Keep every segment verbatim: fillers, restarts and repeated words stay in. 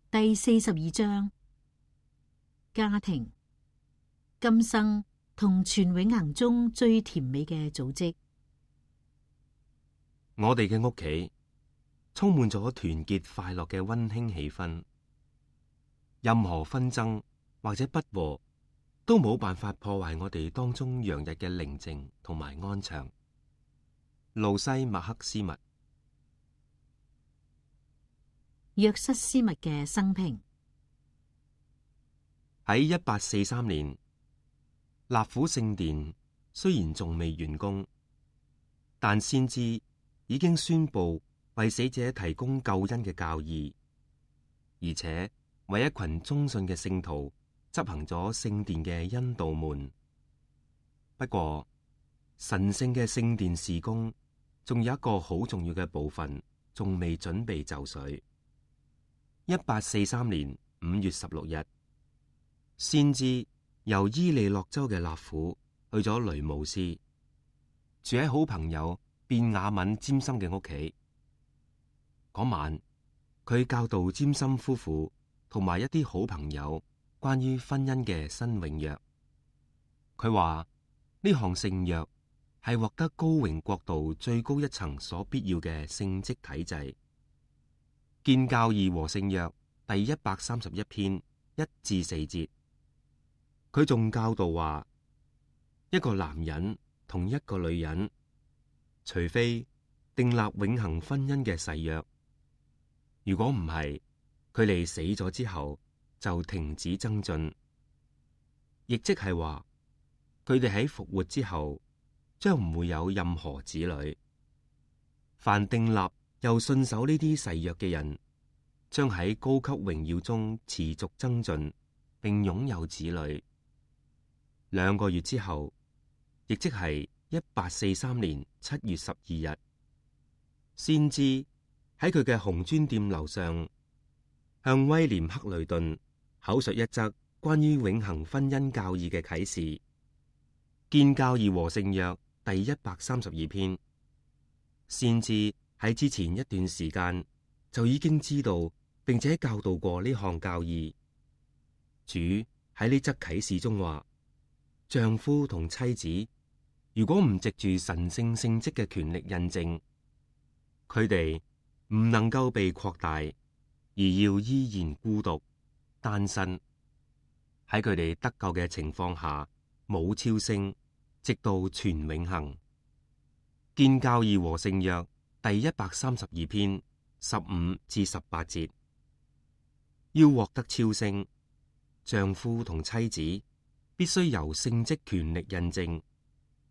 第四十二章，家庭，今生同全永恆中最甜美嘅組織。我哋嘅屋企充滿咗團結快樂嘅溫馨氣氛，任何紛爭或者不和都冇辦法破壞我哋當中洋溢嘅寧靜同埋安詳。路西麥克斯密。約瑟斯密嘅生平。喺一八四三年，納府聖殿雖然仲未完工，但先知已經宣布為死者提供救恩嘅教義，而且為一群忠信嘅聖徒執行咗聖殿嘅恩道門。不過，神聖嘅聖殿事工仲有一個好重要嘅部分仲未準備就緒。一八四三年五月十六日，先知由伊利諾州嘅納府去咗雷姆斯，住喺好朋友便雅憫詹森嘅屋企。嗰晚，佢教導詹森夫婦同埋一啲好朋友關於婚姻嘅新永約。佢話呢項聖約係獲得高榮國度最高一層所必要嘅聖職體制。建教義和聖約第一百三十一篇一至四節，佢仲教導話，一個男人同一個女人，除非訂立永恆婚姻嘅誓約，如果唔係，佢哋死咗之後就停止增進，亦即係話，佢哋喺復活之後將唔會有任何子女。凡訂立又信守呢啲誓約嘅人，將喺高級榮耀中持續增進，並擁有子女。兩個月之後，亦即係一八四三年七月十二日，先知喺佢嘅紅磚店樓上，向威廉克雷頓口述一則關於永恆婚姻教義嘅啟示。建教義和聖約第一百三十二篇，先知喺之前一段時間就已經知道並且教導過呢項教義。主喺呢則啟示中話，丈夫同妻子如果唔藉住神聖聖職嘅權力印證，佢哋唔能夠被擴大，而要依然孤獨單身，喺佢哋得救嘅情況下冇超升，直到全永恆。建教義和聖約第一百三十二篇十五至十八節，要獲得超升，丈夫同妻子必須由聖職權力印證，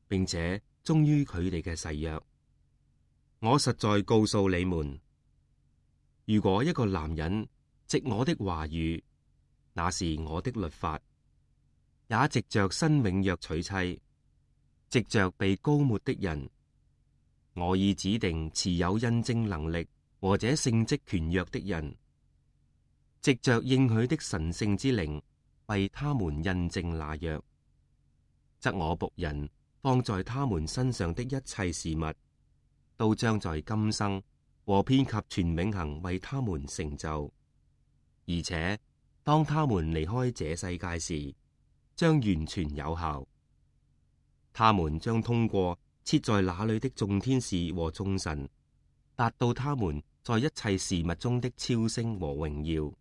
並且忠於佢哋嘅誓約。我實在告訴你們，如果一個男人藉我的話語，那是我的律法，也藉着新永約娶妻，藉着被膏抹的人，我已指定持有印證能力或者聖職權約的人，藉着應許的神聖之靈為他們印證那約，則我僕人放在他們身上的一切事物，都將在今生和遍及全永恆為他們成就，而且當他們離開這世界時，將完全有效。他們將通過設在那裏的眾天使和眾神，達到他們在一切事物中的超升和榮耀，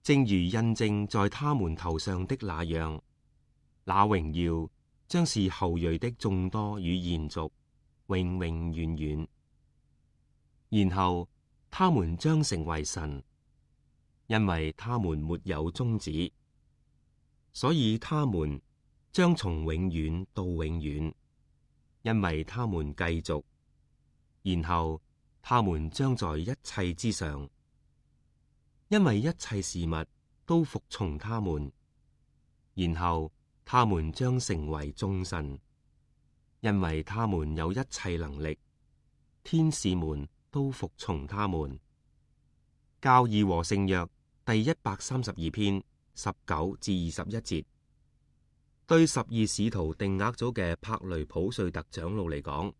正如印證在他們頭上的那樣。那榮耀將是後裔的眾多與延續，永永遠遠。然後他們將成為神，因為他們沒有終止，所以他們將從永遠到永遠，因為他們繼續。然後他們將在一切之上，因為一切事物都服從他們。然後他們將成為眾神，因為他們有一切能力，天使們都服從他們。教義和聖約第一百三十二篇十九至二十一節，對十二使徒定額組嘅柏雷普瑞特長老嚟講，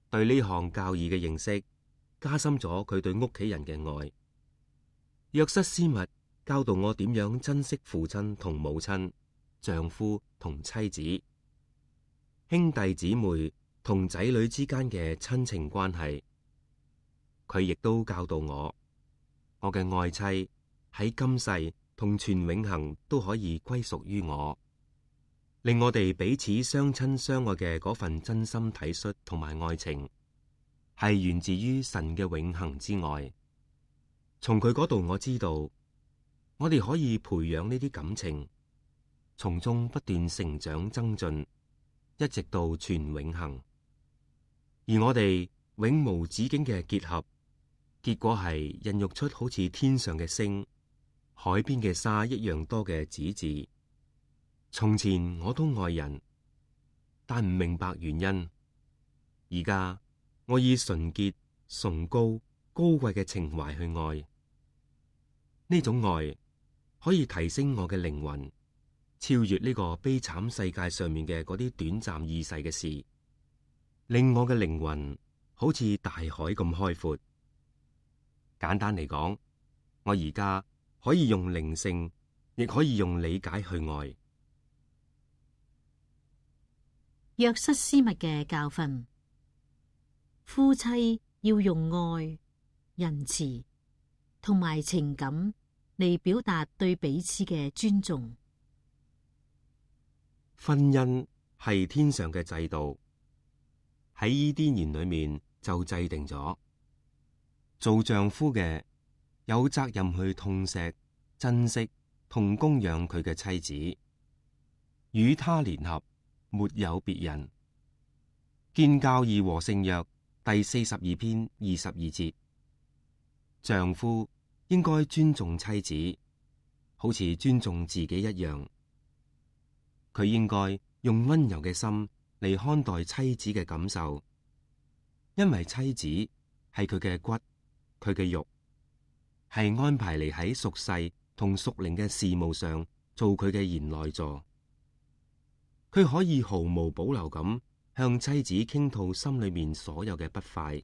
對呢項教義嘅認識加深咗佢對屋企人嘅愛。約瑟斯密教導我點樣珍惜父親同母親、丈夫同妻子、兄弟姊妹同仔女之間嘅親情關係。佢亦都教導我，我嘅愛妻喺今世同全永恆都可以歸屬於我，令我哋彼此相親相愛嘅嗰份真心體恤同埋愛情，係源自於神嘅永恆之愛。從佢嗰度我知道，我哋可以培養呢啲感情，從中不斷成長增進，一直到全永恆。而我哋永無止境嘅結合，結果係孕育出好似天上嘅星、海邊嘅沙一樣多嘅子嗣。從前我都愛人，但唔明白原因。而家我以純潔、崇高、高貴嘅情懷去愛。呢種愛可以提升我嘅靈魂，超越呢個悲慘世界上面嘅嗰啲短暫易逝嘅事，令我嘅靈魂好似大海咁開闊。簡單嚟講，我而家可以用靈性，亦可以用理解去愛。約瑟斯密嘅教訓：夫妻要用愛、仁慈同埋情感嚟表達對彼此嘅尊重。婚姻係天上嘅制度，喺伊甸園裏面就制定咗，做丈夫嘅有責任去痛錫、珍惜同供養佢嘅妻子，與他聯合，沒有別人。建教義和聖約第四十二篇二十二節，丈夫應該尊重妻子，好似尊重自己一樣。佢應該用溫柔嘅心嚟看待妻子嘅感受，因為妻子係佢嘅骨，佢嘅肉，係安排嚟喺屬世同屬靈嘅事務上做佢嘅賢內助。佢可以毫無保留咁向妻子傾吐心裏面所有嘅不快，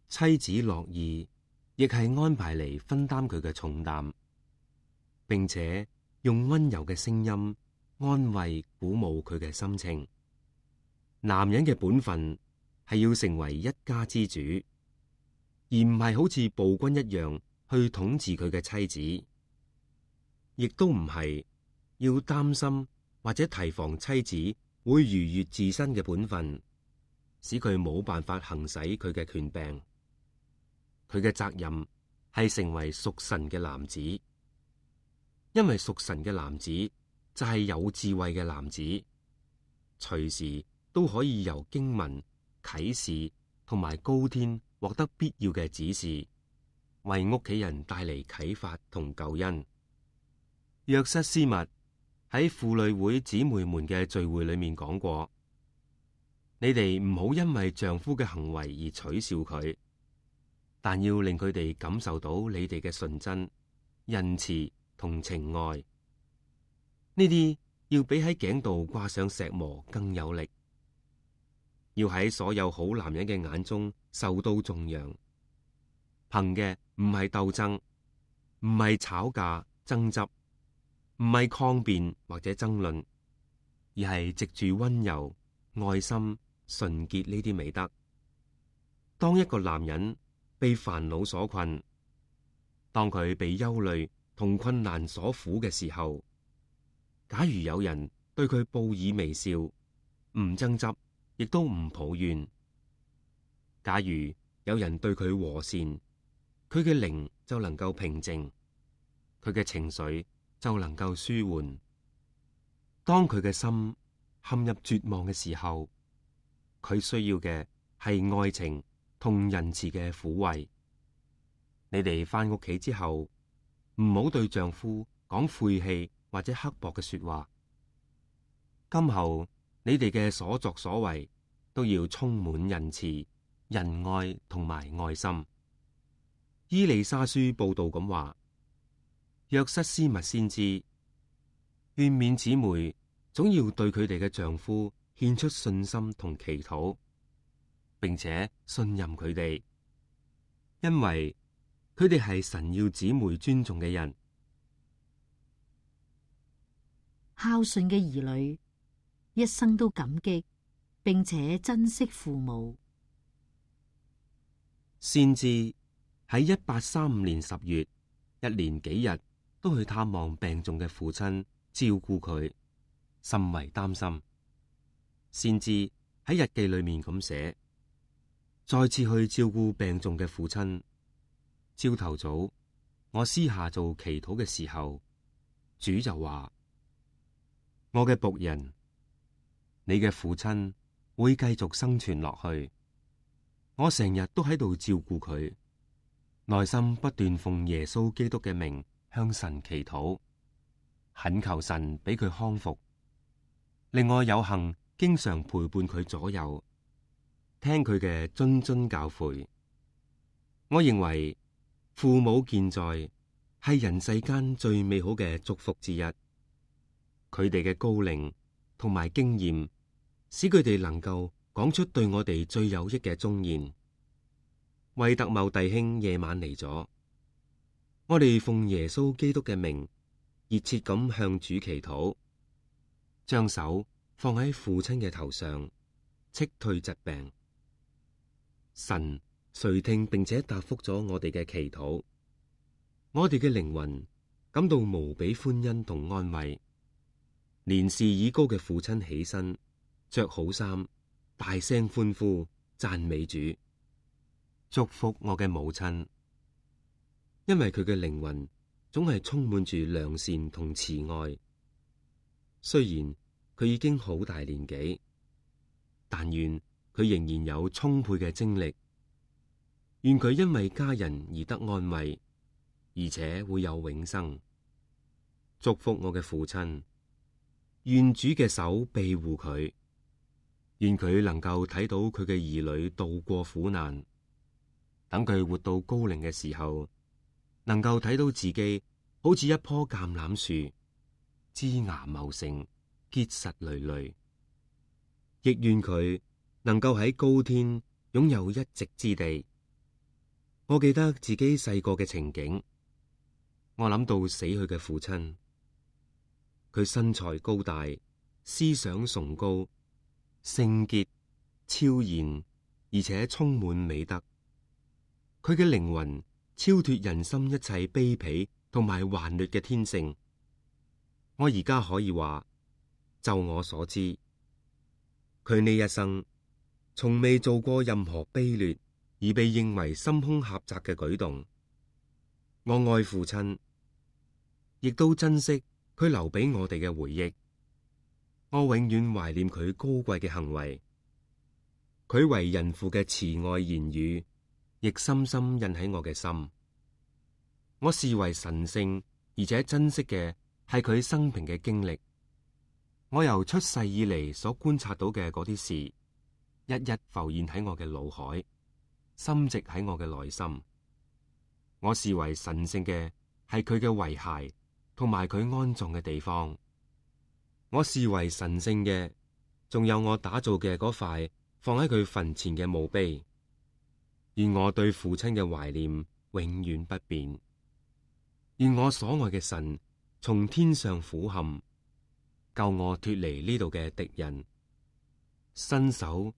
妻子樂意亦係安排嚟分擔佢嘅重擔，並且用溫柔嘅聲音安慰鼓舞佢嘅心情。男人嘅本分係要成為一家之主，而唔係好似暴君一樣去統治佢嘅妻子，亦都唔係要擔心或者提防妻子會逾越自身嘅本分，使佢冇辦法行使佢嘅權柄。佢嘅責任係成為屬神嘅男子，因為屬神嘅男子就係有智慧嘅男子，隨時都可以由經文、啟示同埋高天獲得必要嘅指示，為屋企人帶嚟啟發同救恩。約瑟斯密喺婦女會姊妹們嘅聚會裏面講過：你哋唔好因為丈夫嘅行為而取笑佢，但要令佢哋感受到你哋嘅純真、仁慈同情愛。呢啲要比喺頸度掛上石磨更有力，要喺所有好男人嘅眼中受到頌揚。憑嘅唔係鬥爭，唔係吵架爭執，唔係抗辯或者爭論，而係藉住溫柔、愛心、純潔呢啲美德。當一個男人被煩惱所困，當佢被憂慮同困難所苦嘅時候，假如有人對佢報以微笑，唔爭執，亦都唔抱怨；假如有人對佢和善，佢嘅靈就能夠平靜，佢嘅情緒就能夠舒緩。當佢嘅心陷入絕望嘅時候，佢需要嘅係愛情同仁慈嘅撫慰。你哋返屋企之後，唔好對丈夫講晦氣或者刻薄嘅說話。今後你哋嘅所作所為都要充滿仁慈、仁愛同埋愛心。伊麗莎書報道咁話：約瑟斯密先知勸勉姊妹總要對佢哋嘅丈夫獻出信心同祈禱，並且信任佢哋，因為佢哋係神要姊妹尊重嘅人。孝順嘅兒女一生都感激並且珍惜父母。先知喺一八三五年十月，一連幾日都去探望病重嘅父親，照顧佢，甚為擔心。先知喺日記裏面咁寫：再次去照顧病重嘅父親，朝頭早我私下做祈禱嘅時候，主就話：我嘅僕人，你嘅父親會繼續生存落去。我成日都喺度照顧佢，內心不斷奉耶穌基督嘅名向神祈禱，懇求神俾佢康復，令我有幸經常陪伴佢左右，聽佢嘅諄諄教誨。我認為父母健在係人世間最美好嘅祝福之一。佢哋嘅高齡同埋經驗，使佢哋能夠講出對我哋最有益嘅忠言。惠特茂弟兄夜晚嚟咗，我哋奉耶穌基督嘅名，熱切咁向主祈禱，將手放喺父親嘅頭上，斥退疾病。神垂聽並且答覆咗我哋嘅祈禱，我哋嘅靈魂感到無比歡欣同安慰。年事已高嘅父親起身，着好衫，大聲歡呼，讚美主，祝福我嘅母親，因為佢嘅靈魂總係充滿住良善同慈愛。雖然佢已經好大年紀，但願佢仍然有充沛嘅精力，願佢因為家人而得安慰，而且會有永生。祝福我嘅父親，願主嘅手庇護佢，願佢能夠睇到佢嘅兒女渡過苦難，等佢活到高齡嘅時候，能夠睇到自己好似一棵橄欖樹，枝芽茂盛，結實累累。亦願佢能夠喺高天擁有一席之地。我記得自己細個嘅情景，我諗到死去嘅父親。佢身材高大，思想崇高，聖潔、超然，而且充滿美德。佢嘅靈魂超脫人心一切卑鄙同埋頑劣嘅天性。我而家可以話，就我所知，佢呢一生從未做過任何卑劣而被認為心胸狹窄嘅舉動。我愛父親，亦都珍惜佢留俾我哋嘅回憶。我永遠懷念佢高貴嘅行為，佢為人父嘅慈愛言語，亦深深印喺我嘅心。我視為神聖而且珍惜嘅係佢生平嘅經歷。我由出世以嚟所觀察到嘅嗰啲事，一一浮現喺我嘅腦海，深植喺我嘅內心。我視為神聖嘅係佢嘅遺骸同埋佢安葬嘅地方。我視為神聖嘅，仲有我打造嘅嗰塊放喺佢墳前嘅墓碑。願我對父親嘅懷念永遠不變。願我所愛嘅神從天上俯瞰，救我脫離呢度嘅敵人，伸手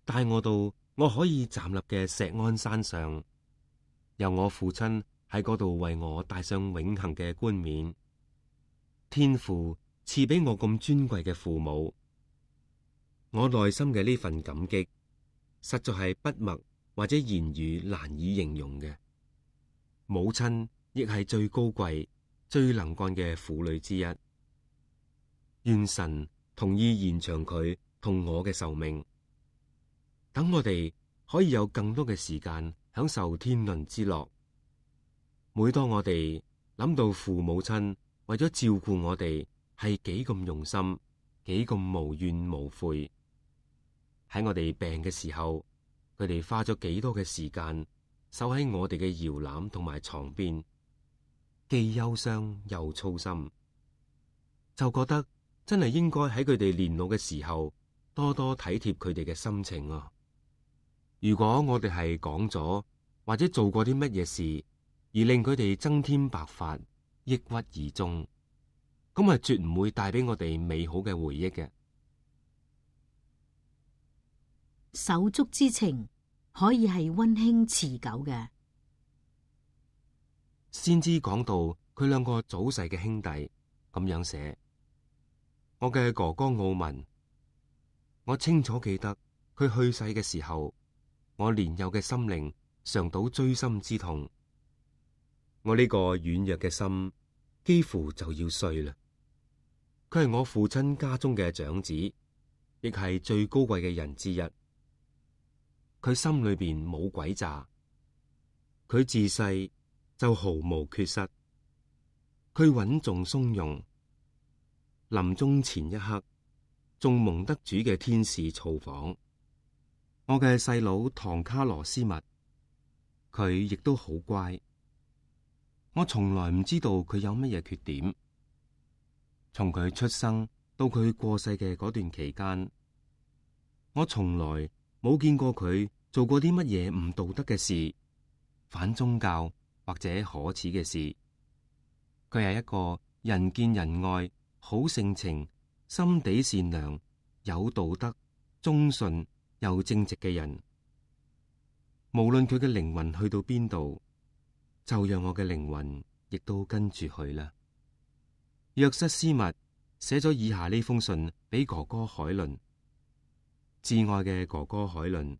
帶我到我可以站立嘅錫安山上，由我父親喺嗰度為我戴上永恆嘅冠冕。天父賜俾我咁尊貴嘅父母，我內心嘅呢份感激，實在係筆墨或者言語難以形容嘅。母親亦係最高貴、最能幹嘅婦女之一。願神同意延長佢同我嘅壽命，等我哋可以有更多嘅時間享受天倫之樂。每當我哋諗到父母親為咗照顧我哋係幾咁用心，幾咁無怨無悔，喺我哋病嘅時候，佢哋花咗幾多嘅時間守喺我哋嘅搖籃同埋床邊，既憂傷又操心，就覺得真係應該喺佢哋年老嘅時候多多體貼佢哋嘅心情啊！如果我哋係講咗或者做過啲乜嘢事，而令佢哋增添白髮、抑鬱而終，咁係絕唔會帶俾我哋美好嘅回憶嘅。手足之情可以係溫馨持久嘅。先知講到佢兩個早逝嘅兄弟咁樣寫：我嘅哥哥奧文，我清楚記得佢去世嘅時候，我年幼嘅心靈嘗到錐心之痛。我呢個軟弱嘅心幾乎就要碎啦。佢係我父親家中嘅長子，亦係最高貴嘅人之一。佢心裏邊冇詭詐，佢自細就毫無缺失。佢穩重松容，臨終前一刻仲蒙得主嘅天使造訪。我嘅細佬唐卡羅斯密，佢亦都好乖。我從來唔知道佢有乜嘢缺點。從佢出生到佢過世嘅嗰段期間，我從來冇見過佢做過啲乜嘢唔道德嘅事，反宗教或者可恥嘅事。佢係一個人見人愛、好性情、心地善良、有道德、忠信又正直嘅人。無論佢嘅靈魂去到邊度，就讓我嘅靈魂亦都跟住去啦。約瑟斯密寫咗以下呢封信俾哥哥海倫：至愛嘅哥哥海倫，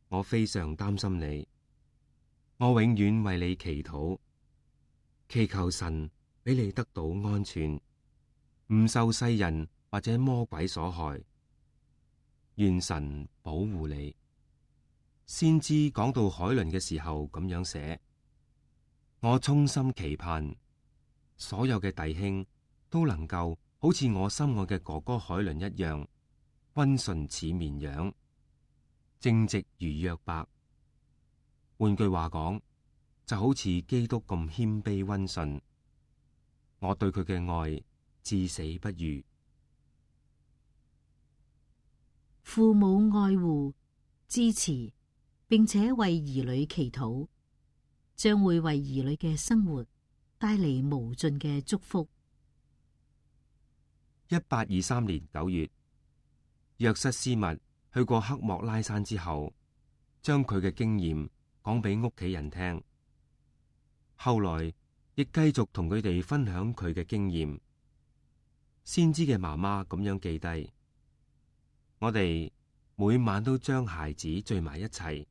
我非常擔心你，我永遠為你祈禱，祈求神俾你得到安全，唔受世人或者魔鬼所害。願神保護你。先知講到海倫嘅時候咁樣寫：我衷心期盼所有嘅弟兄都能夠好似我心愛嘅哥哥海倫一樣，溫順似綿羊，正直如約伯。換句話講，就好似基督咁謙卑溫順。我對佢嘅愛至死不渝。父母愛護、支持，並且為兒女祈禱，將會為兒女嘅生活帶嚟無盡嘅祝福。一八二三年九月，約瑟斯密去過黑莫拉山之後，將佢嘅經驗講俾屋企人聽。後來亦繼續同佢哋分享佢嘅經驗。先知嘅媽媽咁樣記低：我哋每晚都將孩子聚埋一齊。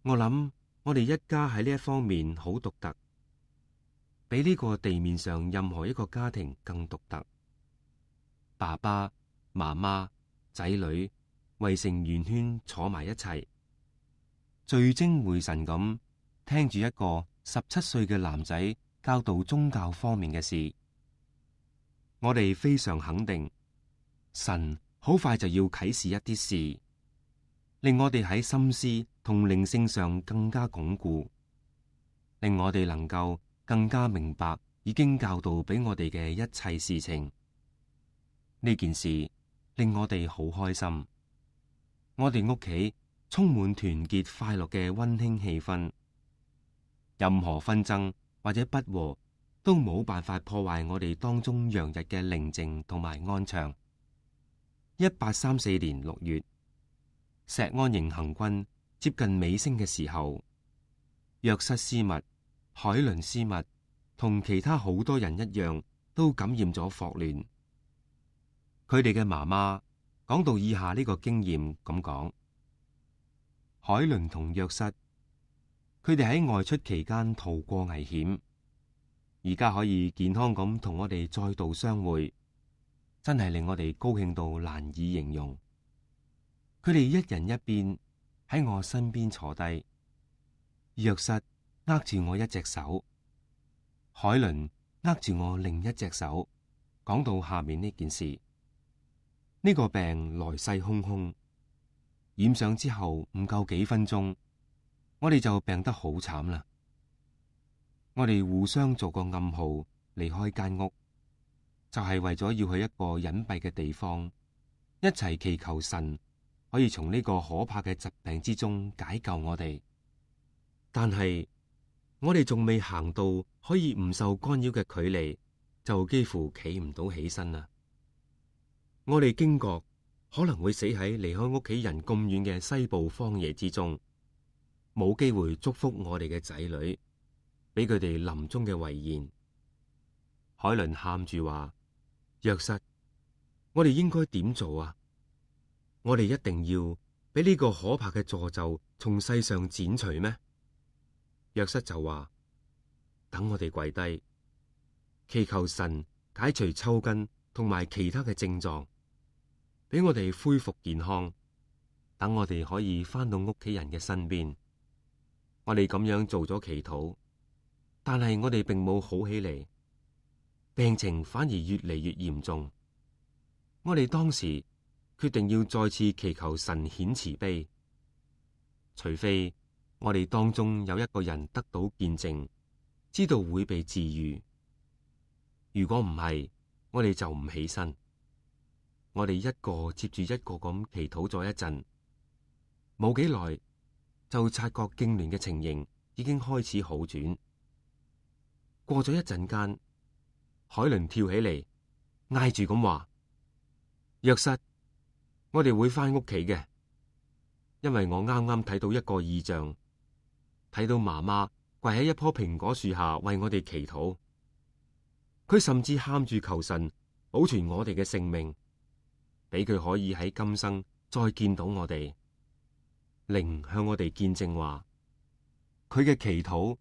我諗我哋一家喺呢一方面好獨特，比呢個地面上任何一個家庭更獨特。爸爸媽媽仔女圍成圓圈坐埋一齊，聚精會神咁聽住一個十七歲嘅男仔教導宗教方面嘅事。我哋非常肯定，神好快就要啟示一啲事，令我哋喺心思同靈性上更加鞏固，令我哋能夠更加明白已經教導俾我哋嘅一切事情。呢件事令我哋好開心，我哋屋企充滿團結快樂嘅溫馨氣氛，任何紛爭或者不和都冇辦法破壞我哋當中洋溢嘅寧靜同埋安詳。一八三四年六月，石安營行軍接近尾聲嘅時候，約瑟斯密、海倫斯密同其他好多人一樣，都感染咗霍亂。佢哋嘅媽媽講到以下呢個經驗咁講：海倫同約瑟，佢哋喺外出期間逃過危險，而家可以健康咁同我哋再度相會，真係令我哋高興到難以形容。佢哋一人一邊喺我身邊坐低，約瑟握住我一隻手，海倫握住我另一隻手。講到下面呢件事。呢個病來勢洶洶，染上之後唔夠幾分鐘，我哋就病得好慘啦。我哋互相做個暗號離開間屋，就係為咗要去一個隱蔽嘅地方，一齊祈求神可以從呢個可怕嘅疾病之中解救我哋。但係我哋仲未行到可以唔受干擾嘅距離，就幾乎企唔到起身啦。我哋驚覺可能會死喺離開屋企人咁遠嘅西部荒野之中，冇機會祝福我哋嘅仔女，俾佢哋臨終嘅遺言。海倫喊住話：約瑟，我哋應該點做啊？我哋一定要俾呢個可怕嘅詛咒從世上剪除咩？約瑟就話：等我哋跪低，祈求神解除抽筋同埋其他嘅症狀，俾我哋恢復健康，等我哋可以翻到屋企人嘅身邊。我哋咁樣做咗祈禱，但係我哋並冇好起嚟，病情反而越嚟越嚴重。我哋當時決定要再次祈求神顯慈悲，除非我哋當中有一個人得到見證，知道會被治癒。如果唔係，我哋就唔起身。我哋一個接住一個咁祈禱咗一陣，冇幾耐就察覺痙攣嘅情形已經開始好轉。過咗一陣間，海倫跳起嚟，嗌住咁話：約瑟，我哋會翻屋企嘅，因為我啱啱睇到一個異象。睇到媽媽跪喺一棵蘋果樹下為我哋祈禱，佢甚至喊住求神保存我哋嘅性命，俾佢可以喺今生再見到我哋。靈向我哋見證話，佢嘅祈禱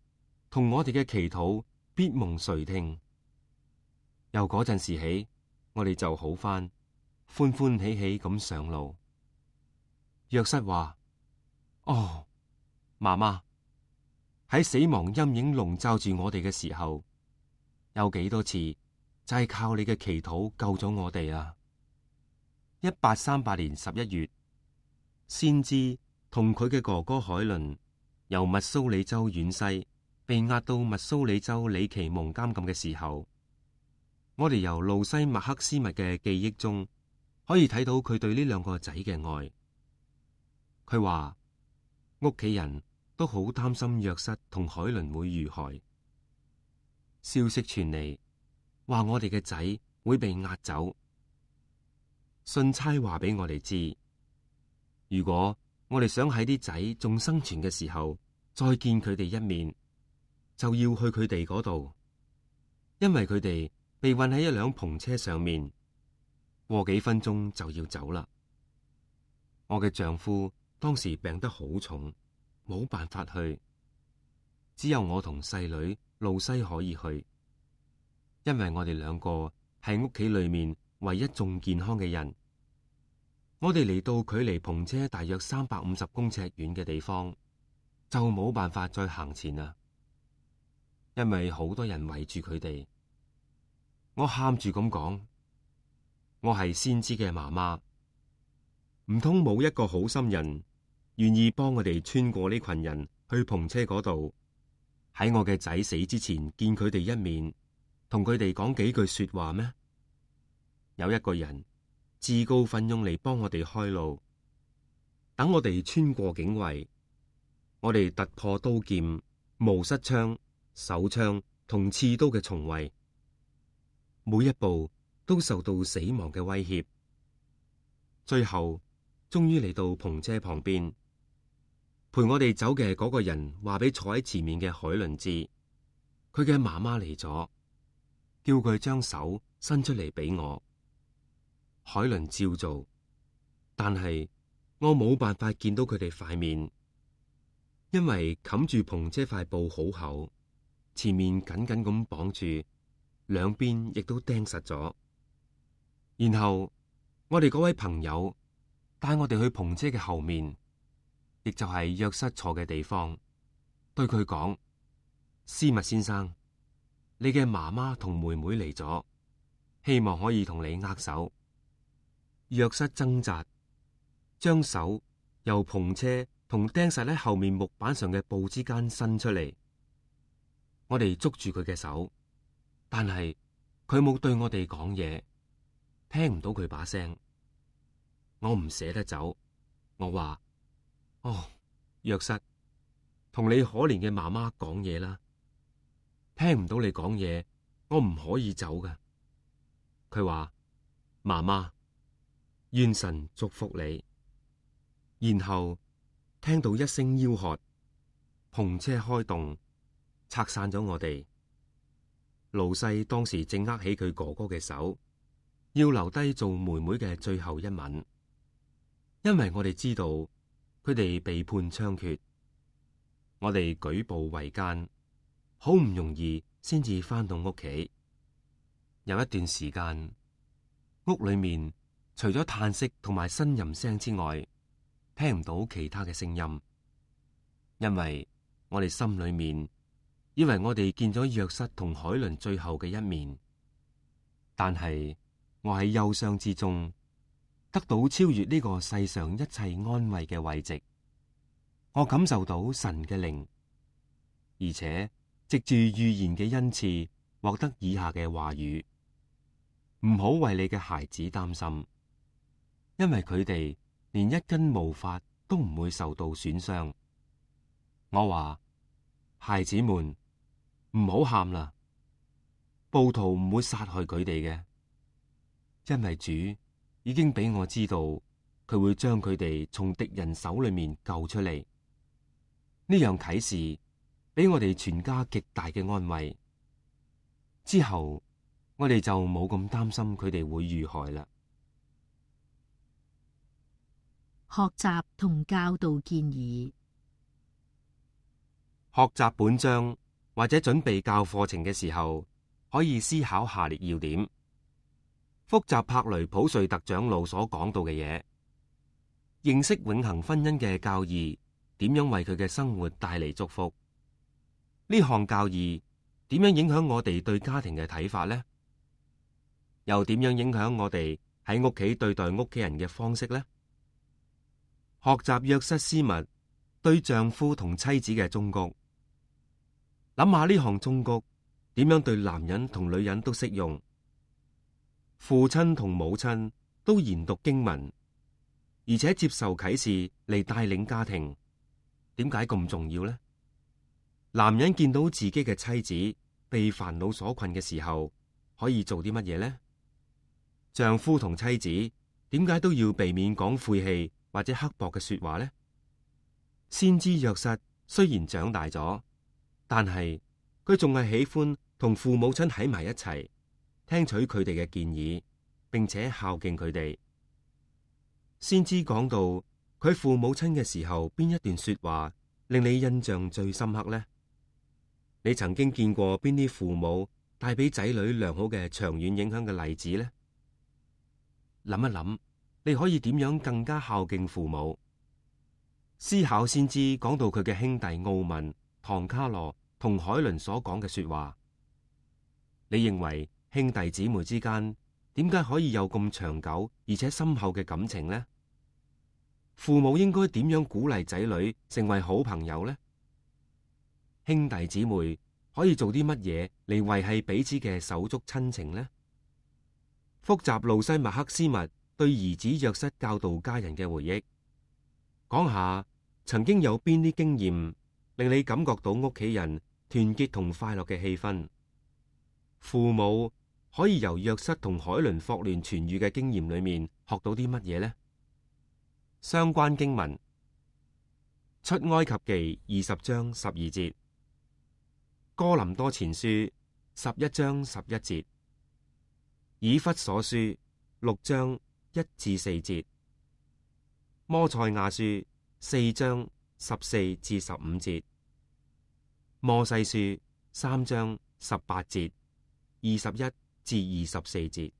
同我哋嘅祈禱必蒙垂聽。由嗰陣時起，我哋就好返，歡歡喜喜咁上路。約瑟話：哦，媽媽。喺死亡陰影籠罩住我哋嘅時候，有幾多次就係靠你嘅祈禱救咗我哋啊！一八三八年十一月，先知同佢嘅哥哥海倫由密蘇里州遠西被押到密蘇里州里奇蒙監禁嘅時候，我哋由路西麥克斯密嘅記憶中可以睇到佢對呢兩個仔嘅愛。佢話屋企人都好擔心約瑟同海倫會遇害。消息傳嚟，話我哋嘅仔會被押走。信差話俾我哋知，如果我哋想喺啲仔仲生存嘅時候再見佢哋一面，就要去佢哋嗰度，因為佢哋被運喺一輛篷車上面，過幾分鐘就要走啦。我嘅丈夫當時病得好重，冇辦法去，只有我同細女露西可以去，因為我哋兩個係屋企裏面唯一仲健康嘅人。我哋嚟到距離篷車大約三百五十公尺遠嘅地方，就冇辦法再行前啦，因為好多人圍住佢哋。我喊住咁講：我係先知嘅媽媽，唔通冇一個好心人願意幫我哋穿過呢群人去篷車嗰度，喺我嘅仔死之前見佢哋一面，同佢哋講幾句說話咩？有一個人自告奮勇嚟幫我哋開路，等我哋穿過警衛，我哋突破刀劍、毛瑟槍、手槍同刺刀嘅重圍，每一步都受到死亡嘅威脅，最後終於嚟到篷車旁邊。陪我哋走嘅嗰個人話俾坐喺前面嘅海倫知，佢嘅媽媽嚟咗，叫佢將手伸出嚟俾我。海倫照做，但係我冇辦法見到佢哋塊面，因為冚住篷車塊布好厚，前面緊緊咁綁住，兩邊亦都釘實咗。然後我哋嗰位朋友帶我哋去篷車嘅後面，亦就係約瑟坐嘅地方，對佢講：斯密先生，你嘅媽媽同妹妹嚟咗，希望可以同你握手。約瑟掙扎，將手由篷車同釘實喺後面木板上嘅布之間伸出嚟。我哋捉住佢嘅手，但係佢冇對我哋講嘢，聽唔到佢把聲。我唔捨得走，我話：哦，約瑟，同你可憐嘅媽媽講嘢啦，聽唔到你講嘢，我唔可以走㗎。佢話：媽媽，願神祝福你。然後聽到一聲吆喝，篷車開動，拆散咗我哋。盧西當時正握起佢哥哥嘅手，要留低做妹妹嘅最後一吻，因為我哋知道佢哋被判槍決。我哋舉步維艱，好唔容易先至翻到屋企。有一段時間，屋裏面除咗嘆息同埋呻吟聲之外，聽唔到其他嘅聲音，因為我哋心裏面以為我哋見咗約瑟同海倫最後嘅一面，但係我喺憂傷之中得到超越呢個世上一切安慰嘅慰藉。我感受到神嘅靈，而且藉住預言嘅恩賜，獲得以下嘅話語：唔好為你嘅孩子擔心，因為佢哋連一根毛髮都唔會受到損傷。我話：孩子們，唔好喊啦，暴徒唔會殺害佢哋嘅，因為主已經俾我知道，佢會將佢哋從敵人手裏面救出嚟。呢樣啟示俾我哋全家極大嘅安慰。之後我哋就冇咁擔心佢哋會遇害啦。學習同教導建議。學習本章或者準備教課程嘅時候，可以思考下列要點：複習柏雷普瑞特長老所講到嘅嘢，認識永恆婚姻嘅教義，點樣為佢嘅生活帶嚟祝福？呢項教義點樣影響我哋對家庭嘅睇法呢？又點樣影響我哋喺屋企對待屋企人嘅方式呢？學習約瑟斯密對丈夫同妻子嘅忠告，諗下呢項忠告點樣對男人同女人都適用。父親同母親都研讀經文，而且接受啟示嚟帶領家庭，點解咁重要呢？男人見到自己嘅妻子被煩惱所困嘅時候，可以做啲乜嘢呢？丈夫同妻子點解都要避免講晦氣或者刻薄嘅說話呢？先知約瑟雖然長大咗，但係佢仲係喜歡同父母親喺埋一齊，聽取佢哋嘅建議，並且孝敬佢哋。先知講到佢父母親嘅時候，邊一段說話令你印象最深刻呢？你曾經見過邊啲父母帶俾仔女良好嘅長遠影響嘅例子呢？諗一諗，你可以點樣更加孝敬父母？思考先知講到佢嘅兄弟奧文、唐卡羅同海倫所講嘅說話，你認為兄弟姊妹之間點解可以有咁長久而且深厚嘅感情呢？父母應該點樣鼓勵仔女成為好朋友呢？兄弟姊妹可以做啲乜嘢嚟維繫彼此嘅手足親情呢？複習路西麥克斯密對兒子約瑟教導家人嘅回憶，講下曾經有邊啲經驗令你感覺到屋企人團結同快樂嘅氣氛。父母可以由約瑟同海倫霍亂痊癒嘅經驗裏面學到啲乜嘢呢？相關經文：出埃及記二十章十二節，哥林多前書十一章十一節，以弗所書六章一至四節，摩賽亞書四章十四至十五節，摩西書三章十八節、二十一至二十四節。